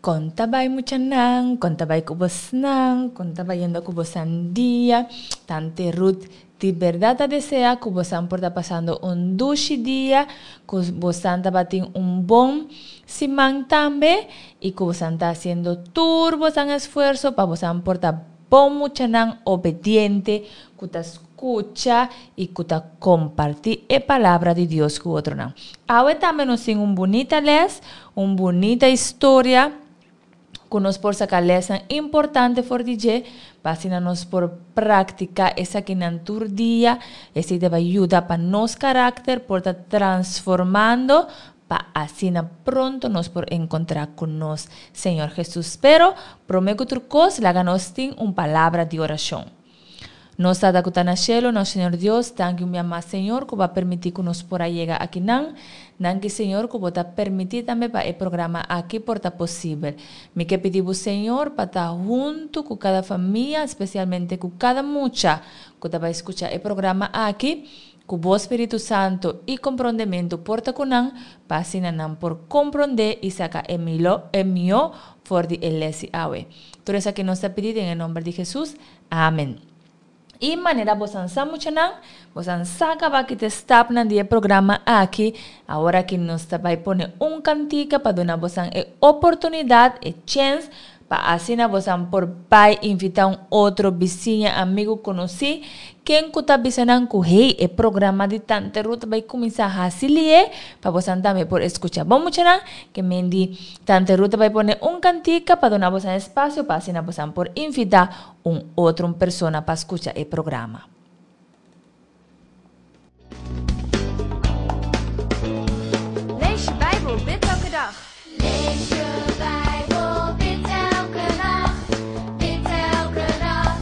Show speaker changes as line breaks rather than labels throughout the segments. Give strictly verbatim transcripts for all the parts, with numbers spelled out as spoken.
Kon ta bai muchanan, kon ta bai ku bosnan, kon ta bayendo ku bosan dia. Tante Ruth di bèrdat ta deseá ku bosan por ta pasando un dushi dia, ku bosan tabatin un bon siman tambe i ku bosan ta hasiendo tur bosan esfuerso pa bosan por ta bon muchanan obediente ku ta skucha i ku ta kompartí e palabra di Dios ku otronan. Awe tambe nos tin un bunita lès, un bunita historia ku nos por saka lèsnan importante for di dje, pa asina nos por praktiká esakinan tur dia. Esei ta bai yuda pa nos karakter por ta transformando, pa asina pronto nos por enkontrá ku nos Señor Hesus. Pero, promé ku tur kos, laga nos tin un palabra di orashon. Nos Tata ku ta na shelu, nos Señor Dios, danki un bia mas, Señor, ku bo a permití ku nos por a yega akinan. Danki, Señor, ku bo ta permití tambe pa e programa aki por ta posibel. Mi ke pidi bo, Señor, pa ta huntu ku kada famia, spesialmente ku kada mucha ku ta bai skucha e programa aki, ku bo Spiritu Santu i komprondementu por ta ku nan, pa asina nan por komprondé i saka e milo, e mihó for di e lès di awe. Tur esaki nos ta pidi den e nòmber di Hesus. Amen. I manera bosan sa muchanan, bosan sa kaba ki ta e stapnan di e programa aki. Awor aki nos ta bai pone un kantika pa duna bosan e oportunidat, e chèns, pa asina bosan por bai invitá un otro bisiña, amigu, konosí, ken ku ta bisa nan ku hey, e programa di Tante Ruth ta bai kuminsá hasi lié, pa bosan tambe por eskucha. Bon muchanan, ke men di Tante Ruth ta bai pone un kantika pa duna bosan espasio pa asina bosan por invitá un otro un persona pa skucha e programa.
Lees je Bijbel, bid elke dag.
Lees je Bijbel, bid elke nacht. Bid elke dag,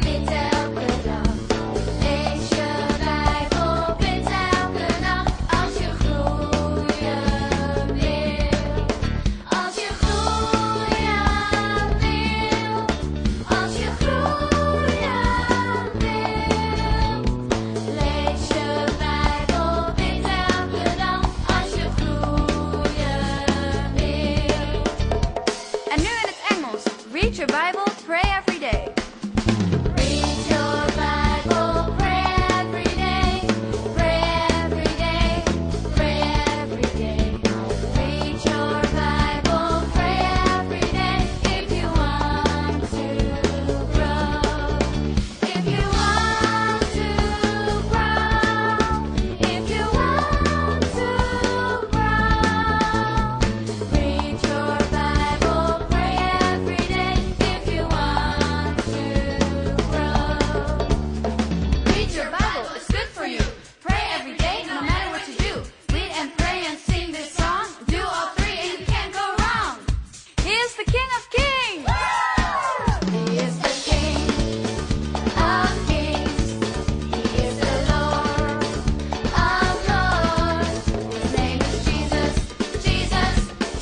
bid elke dag. Lees je Bijbel, bid elke nacht. Als je groeien wil. Als je groeien wil. Als je groeien wil. Lees je Bijbel, bid elke dag. Als je groeien wil.
En nu in het Engels. Read your Bible, pray every day.
Read your Bible, pray every day, pray every day, pray every day. Read your Bible, pray every day if you want to grow. If you want to grow, if you want to grow. Read your Bible, pray every day if you want to grow.
Read your Bible, it's good for you. Pray every day, no matter what you do. Read and pray and sing this song. Do all three and you can't go wrong. He is the King of Kings.
He is the King of Kings. He is the Lord of Lords. His name is Jesus, Jesus,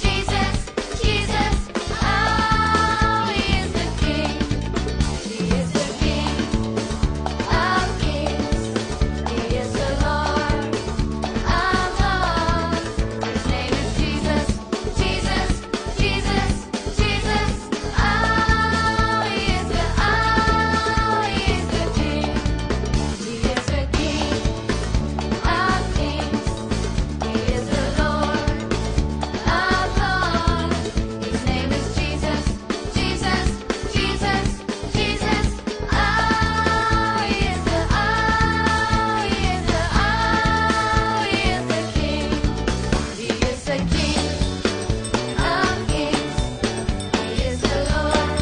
Jesus, Jesus. Oh, he is the King. He is the King of Kings. He is the Lord of Lords. His name is Jesus, Jesus, Jesus, Jesus. Oh, he is the, oh, he is the King. He is the King of Kings. He is the Lord of Lords. His name is Jesus, Jesus, Jesus, Jesus. Oh, he is the, oh, he is the, oh, he is the King. He is the King of Kings. He is the Lord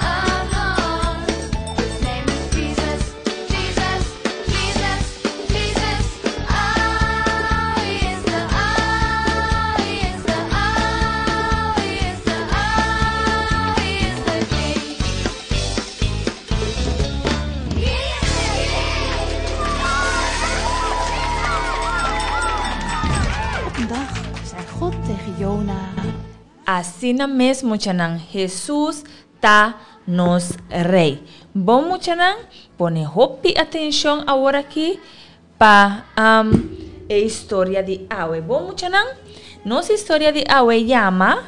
of Lords. His name is Jesus, Jesus, Jesus, Jesus. Oh, he is the, oh, he is the, oh, he is the, oh, he is the King. He is the King.
Op een dag zei God tegen Jona:
Asina mes muchanan, Hesus ta nos Rei. Bon muchanan, pone hopi atenshon awor aki pa um, e historia di awe. Bon muchanan, nos historia di awe yama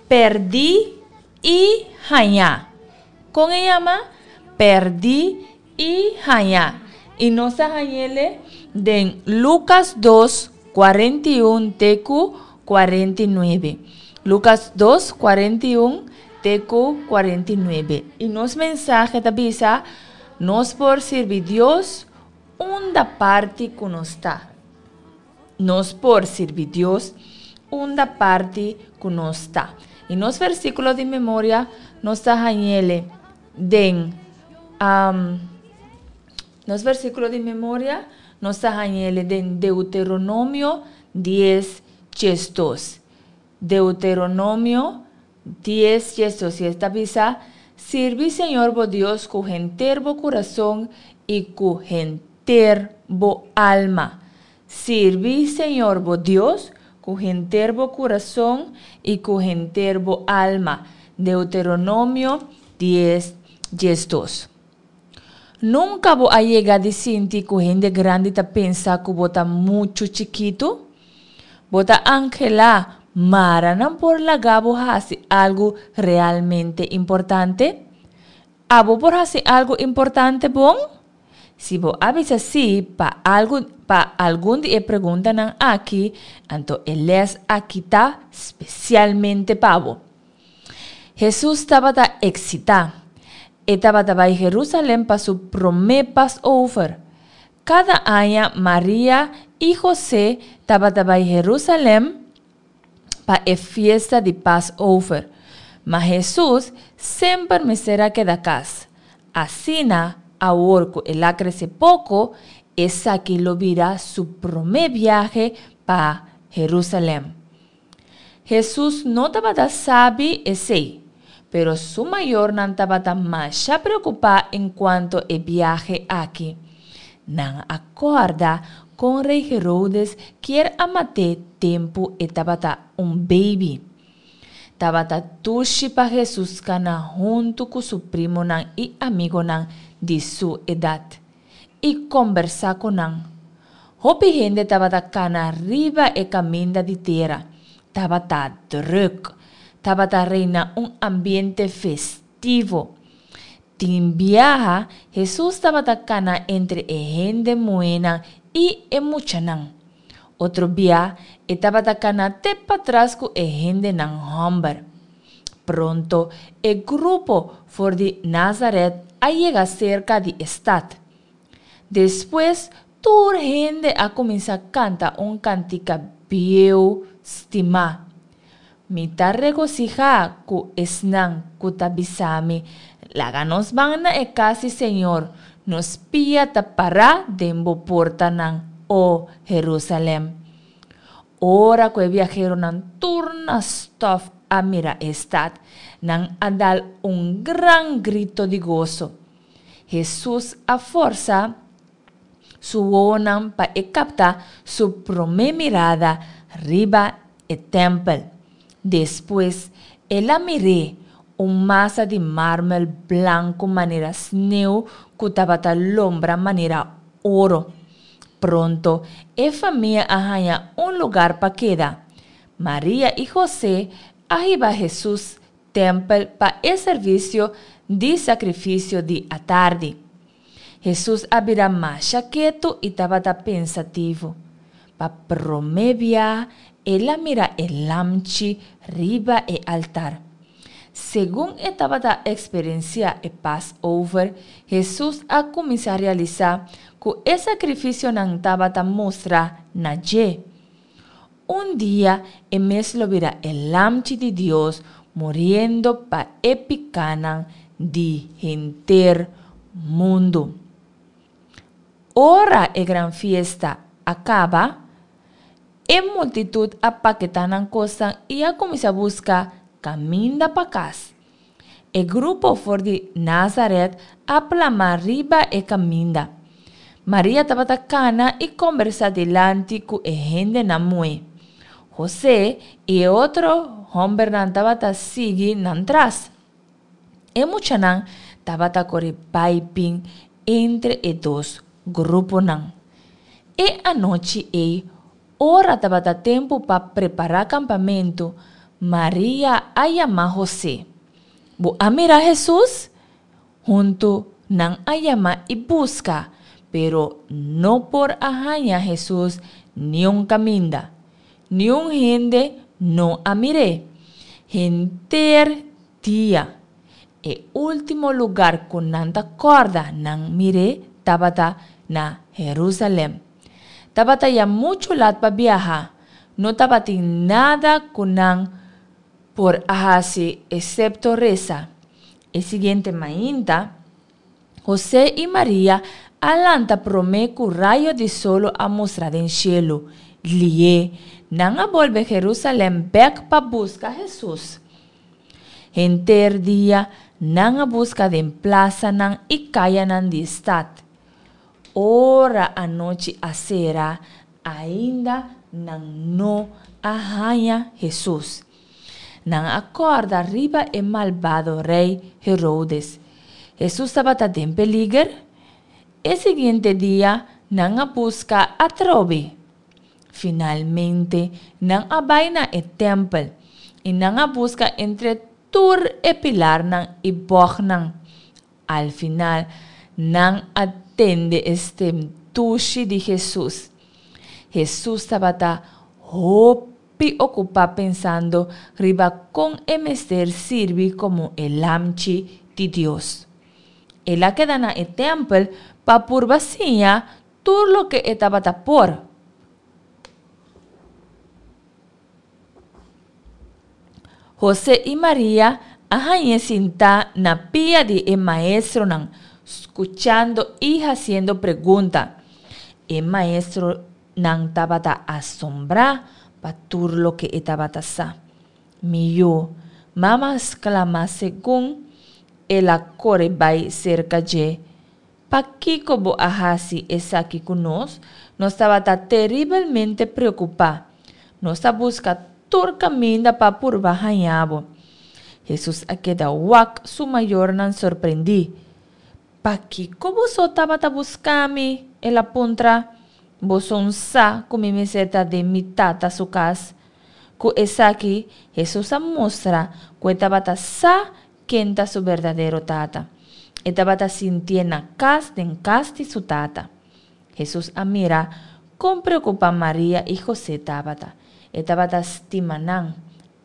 Pèrdí i Hañá. Kon e yama? Pèrdí i Hañá. I nos ta hañ'é den Lukas dos, kuarenta i un te ku kuarenta i nuebe. Lukas dos, kuarenta i un te ku kuarenta i nuebe. I nos mensahe ta bisa, nos por sirbi Dios unda parti ku nos ta. Nos por sirbi Dios unda parti ku nos ta. I nos versíkulo di memoria nos ta hañ'é den, um, nos versíkulo di memoria nos ta hañ'é den Deuteronomio dies, diesdos. Deuteronomio dies, diesdos. I ta bisa, sirbi Señor bo Dios ku henter bo kurason i ku henter bo alma. Sirbi Señor bo Dios ku henter bo kurason i ku henter bo alma. Deuteronomio dies, diesdos. Nunka bo a yega di sinti ku hende grandi ta pensa ku bo ta muchu chikitu? Bo ta anhelá mara nan por laga bo hasi algu realmente importante? Abo por hasi algu importante bon? Si bo a bisa sí pa algu, pa algun di e preguntanan aki, anto e lès aki ta spesialmente pa bo. Hesus tabata eksitá. E tabata bai Herusalèm pa su promé Passover. Kada aña Maria i Hosé tabata bai Herusalèm pa e fiesta di Passover. Ma Hesus semper mester a keda kas. Asina, awor ku el a krese poko, esaki lo bira su promé biahe pa Herusalèm. Hesus no tabata sabi esei, pero su mayornan tabata masha preokupá enkuanto e biahe aki. Nan a kòrda kon rei Herodes kier a mat'é tempu e tabata un beibi. Tabata dushi pa Hesus kana huntu ku su primonan i amigonan di su edat i kombersá ku nan. Hopi hende tabata kana riba e kaminda di tera. Tabata drùk. Tabata reina un ambiente festivo. Tin biaha Hesus tabata kana entre e hende muhénan i e muchanan. Otro bia e tabata kana te patras ku e hendenan hòmber. Pronto e grupo for di Nazaret a yega serka di e stat. Despues tur hende a kuminsá kanta un kantika bieu stimá. Mi ta regosihá ku esnan ku ta bisa mi, laga nos ban na e kas di Señor, nos pia ta pará den bo portanan, o Herusalèm. Ora ku e biaheronan tur na stòf a mira e stat, nan a dal un gran grito di goso. Hesus a forsa su wowonan pa e kapta su promé mirada riba e tèmpel. Despues el a mir'é, un masa di marmel blanku manera sneu ku tabata lombra manera oro. Pronto e famia a haña un lugar pa keda. Maria i Hosé a hiba Hesus tèmpel pa e servisio di sakrifisio di atardi. Hesus a bira masha ketu i tabata pensativo. Pa promé bia el a mira e lamchi riba e altar. Segun e tabata eksperensiá e Passover, Hesus a kuminsá realisá ku e sakrifisionan tabata mustra na dje. Un dia e mes lo bira e Lamchi di Dios muriendo pa e pikánan di henter mundu. Ora e gran fiesta a kaba, e multitut a paketá nan kosnan i a kuminsá buska kaminda pa kas. E grupo for di Nazaret a plama riba e kaminda. Maria tabata kana i kombersá dilanti ku e hendenan muhé. Hosé i e otro hòmbernan tabata sigui nan tras. E muchanan tabata kore bai bin entre e dos gruponan. E anochi ei, ora tabata tempu pa prepará kampamentu, Maria a yama Hosé. Bo a mira Hesus? Huntu nan a yama i buska, pero no por a haña Hesus niun kaminda. Niun hende no a mir'é. Henter dia. E último lugar ku nan ta kòrda nan mir'é tabata na Herusalèm. Tabata ya muchu lat pa biaha. No tabatin nada ku nan por a hasi eksepto resa. E siguiente mainta, Hosé i Maria a lanta promé ku rayo di solo a mustra den shelu. Lié, nan a bolbe Herusalèm bèk pa buska Hesus. Henter dia nan a buska den plasanan i kayanan di stat. Ora anochi a sera, ainda nan no a haña Hesus. Nan a kòrda riba e malbado rei Herodes. Hesus tabata den peliger? E siguiente dia nan a buska atrobe. Finalmente nan a bai na e tèmpel, i nan a buska entre tur e pilarnan i bògnan. Al final nan a tende e stem dushi di Hesus. Hesus tabata hopi okupá pensando riba kon e mester sirbi komo e Lamchi di Dios. El a keda na e tèmpel pa purba siña tur loke e tabata por. Hosé i Maria a hañ'é sintá na pia di e maestronan, skuchando i hasiendo pregunta. E maestronan tabata asombrá pa tur loke e tabata sa. Mi yu, mama a sklama segun el a kore bai serka dje, pakiko bo a hasi esaki ku nos? Nos tabata teribelmente preokupá. Nos a buska tur kaminda pa purba haña bo. Hesus a keda wak su mayornan sorprendí. Pakiko boso tabata buska mi? El a puntra. Boso un sa ku mi mester ta den mi Tata su kas? Ku esaki, Hesus a mustra ku e tabata sa ken ta su berdadero Tata. E tabata sintié na kas den kas di su Tata. Hesus a mira kon preokupá Maria i Hosé tabata. E tabata stima nan.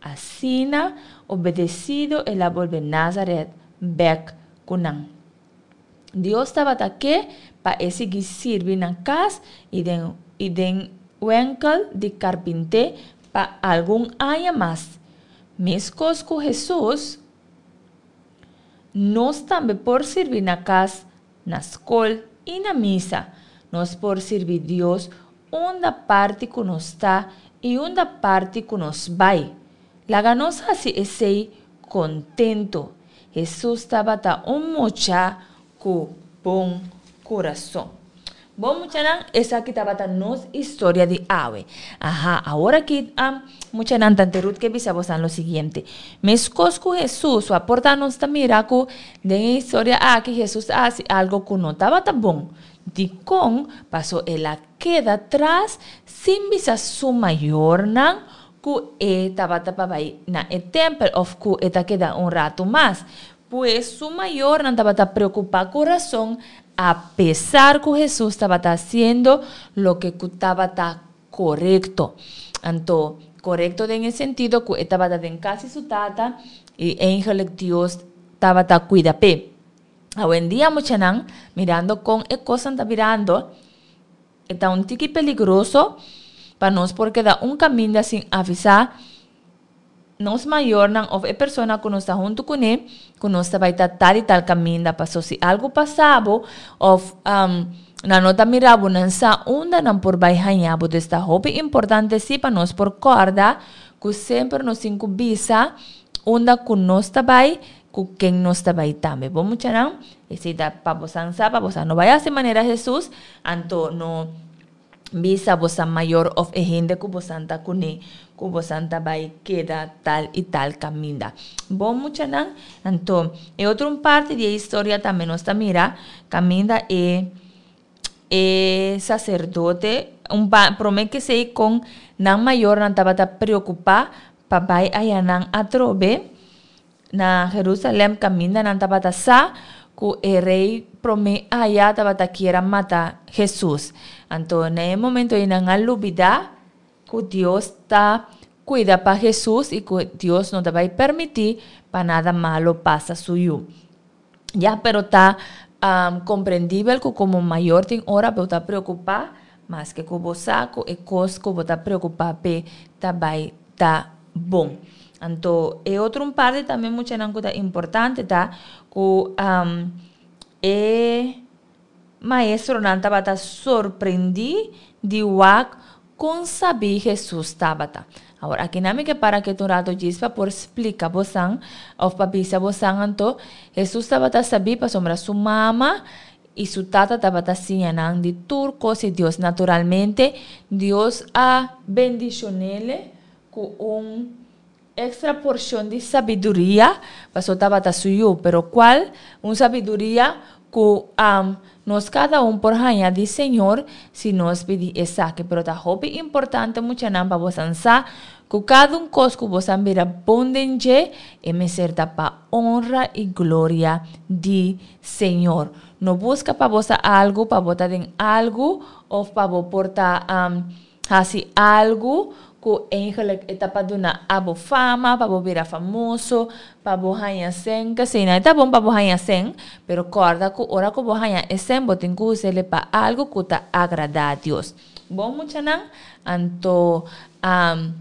Asina, obedesido el a bolbe Názarèt bèk ku nan. Dios tabata ke pa e sigui sirbi na kas i den i den wenkel di karpinté pa algun aña mas. Meskos ku Hesus, nos tambe por sirbi na kas, na skol i na misa. Nos por sirbi Dios unda parti ku nos ta i unda parti ku nos bai. Laga nos hasi esei kontentu. Hesus tabata un mucha ku bon kurason. Bon muchanan, esaki tabata nos historia di awe. Aha, awor aki um, muchanan, tante Ruth ke bisa bosan lo siguiente. Meskos ku Hesus, a porta nos ta mira ku den e historia aki Hesus a hasi algo ku no tabata bon. Dikon? Paso el a keda tras sin bisa su mayornan ku e tabata pa bai na e tèmpel òf ku e ta keda un ratu mas. Pues su mayornan tabata preokupá ku rason apesar ku Hesus tabata hasiendo loke ku tabata korekto. Anto, korekto den e sentido ku e tabata den kas di su tata i eigenlijk Dios tabata kuida p'e. Awendia muchanan, mirando kon e kosnan ta birando, e ta un tiki peligroso pa nos por keda un kaminda sin avisá nos mayornan òf e persona ku nos ta huntu kuné ku nos ta bai ta tal i tal kaminda. Paso si algu pasa bo òf nan no ta mira bo, nan sa unda nan por bai haña bo. Dus ta hopi importante sí pa nos por kòrda ku semper nos tin ku bisa unda ku nos ta bai, ku ken nos ta bai tambe. Bon muchanan, esei ta pa bosan sa, pa bosan no bai hasi manera Hesus, anto no bisa bosan mayor òf e hende ku bosan ta kuné ku bosan ta bai keda tal i tal kaminda. Bon muchanan, anto e otro un parti di e historia tambe nos ta mira kaminda e e saserdote un pa promé ke esei kon nan mayornan tabata preokupá pa pa bai ayanan atrobe na Jerusalem kaminda nan tabata sa ku e rei promé aya tabata kier a mata Jesus. Anto na e momento ei nan a lubidá ku Dios ta kuida pa Jesus i ku Dios no ta bai permití pa nada malo pasa su yu. Ya, pero ta um, komprendibel ku komo mayor tin ora bo ta preokupá, maske ku bo sa ku e kos ku bo ta preokupá p'e ta bai ta bon. Anto e otro un parti tambe muchanan ku ta importante ta ku um, e maestronan tabata sorprendí di wak kon sabí Hesus tabata. Awor aki nan mi ke para ketu un rato djis pa por splika bosan òf pa bisa bosan anto Hesus tabata sabí pasobra su mama i su tata tabata siña nan di tur kos di Dios. Naturalmente Dios a bendishon'ele ku un extra porcion di sabiduria, paso tabata su yu, pero cual un sabiduria cu um, nos cada un por haña di Señor si nos pidi esaki. Pero ta hopi importante muchanan pa bosan sa cu cada un cos cu bosan bira bon den dje, e mester ta pa honra y gloria di Señor. No busca pa bo sa algo, pa bo ta den algo, of pa bo por ta um, hasi algo ku eigenlijk e ta pa duna abo fama, pa bo bira famoso, pa bo haña sen, k'esei nan e ta bon pa bo haña sen, pero kòrda ku ora ku bo haña e sen bo tin ku us'e pa algo ku ta agradá Dios. Bon muchanan, anto um,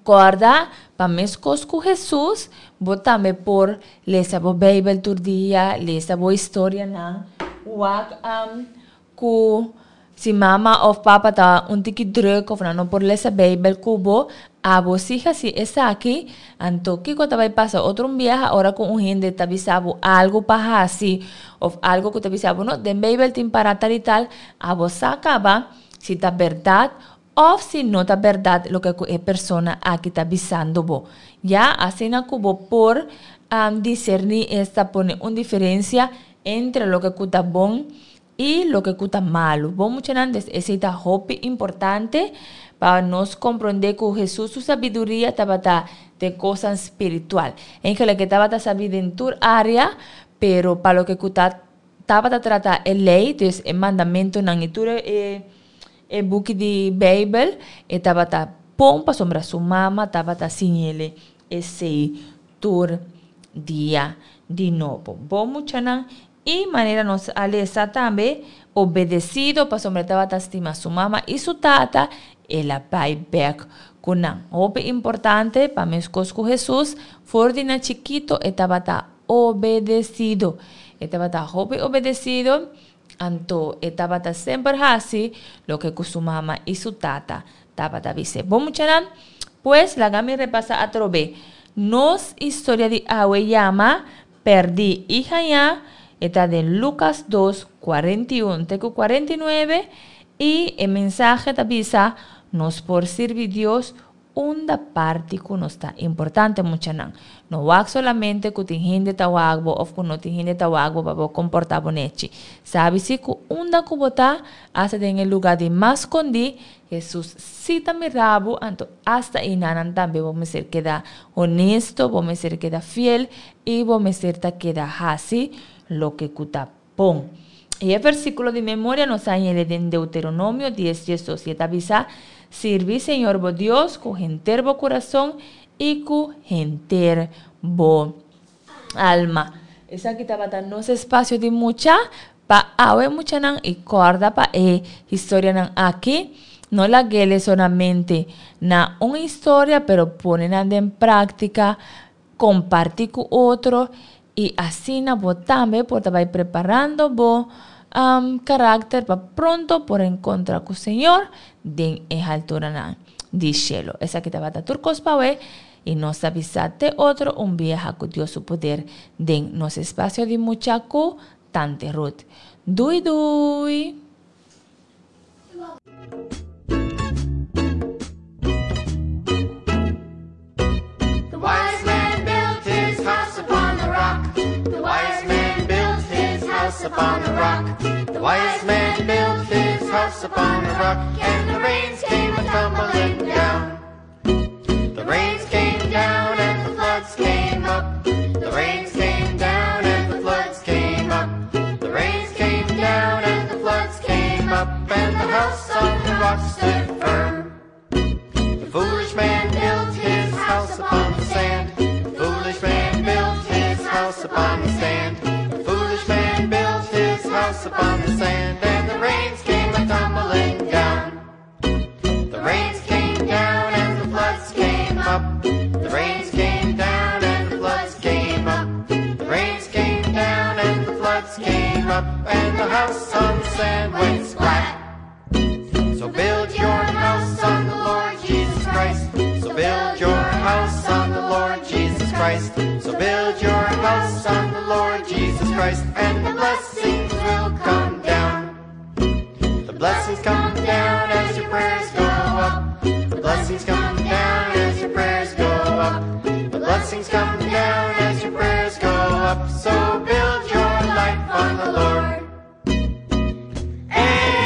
kòrda pa meskos ku Hesus, bo tambe por lesa bo Beibel tur dia, lesa bo historianan, wak um, ku si mama òf papa ta un tiki drùk òf nan no por lesa Beibel ku bo, abo sí hasi esaki, anto kiko ta bai pasa otro un biaha ora ku un hende ta bisa bo algu pa hasi òf algu ku ta bisa bo no, den Beibel tin pará tal i tal, abo sa kaba si ta bèrdat òf si no ta bèrdat loke ku e persona aki ta bisando bo. Ya, asina ku bo por um, diserní esta pone un diferensia entre loke ku ta bon i loke ku ta malu. Bon muchanan, des esei ta hopi importante pa nos komprondé ku Hesus su sabiduria tabata den kosnan spiritual. Eigenlijk e tabata sabí den tur área, pero pa loke ku ta tabata trata e lei, dus e mandamentunan i tur e e buki di Beibel, e tabata bon pasobra su mama tabata siñ'ele esei tur dia di nobo. Bon muchanan, i manera nos a lesa tambe, obedesido pasobra e tabata stima su mama i su tata, el a bai bèk ku nan. Hopi importante pa meskos ku Hesus, for di na chikito e tabata obedesido. E tabata hopi obedesido, anto e tabata semper hasi loke ku su mama i su tata tabata bis'é. Bon muchanan, pues laga mi repasá atrobe. Nos historia di awe yama Pèrdí i Hañá, e ta den Lukas dos, kuarenta i un te ku kuarenta i nuebe, i e mensahe ta bisa, Nos por sirbi Dios unda parti ku nos ta. Importante muchanan, no wak solamente ku tin hende ta wak bo òf ku no tin hende ta wak bo pa bo komportá bo nechi. Sabi si ku unda ku bo ta, asta den e lugá di mas skondí, Hesus sí ta mira bo, anto asta einanan tambe bo mester keda honesto, bo mester keda fiel i bo mester ta keda hasi loke ku ta bon. I e versíkulo di memoria nos a hañ'é den Deuteronomio dies diesdos i e ta bisa, Sirbi Señor bo Dios ku henter bo kurason i ku henter bo alma. Esaki tabata nos espasio di mucha pa awe muchanan i kòrda pa e historianan aki no lag'é solamente na un historia pero pone nan den práktika, kompartí ku otro i asina bo tambe por ta bai preparando bo karakter pa pronto por enkontra ku Señor den e halturanan di shelu. Esaki tabata tur kos pa awe i nos ta bisa te otro un biaha ku Dios su poder den nos espasio di mucha ku Tante Ruth. Dui dui!
The wise man built his house upon the rock. The wise man built his house upon the rock. The wise man built his house upon the rock, and the rains came a tumbling down. The rains came upon the sand. The foolish man built his house upon the sand. The foolish man built his house upon the sand, and the rains came a tumbling down. The rains came down and the floods came up. The rains came down and the floods came up. The rains came down and the floods came up, and the house on the sand went splat. So build your house on the Lord Jesus Christ. So build your house on the Lord Jesus Christ. So build your house on the Lord Jesus Christ, and the blessings will come down. The blessings come down as your prayers go up. The blessings come down as your prayers go up. The blessings come down as your prayers go up. So build your life on the Lord. Hey,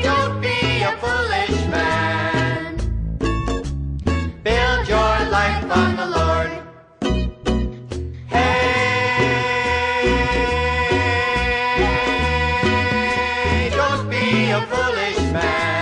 don't be a foolish man. Build your life on the Lord. Hey, don't be a foolish man.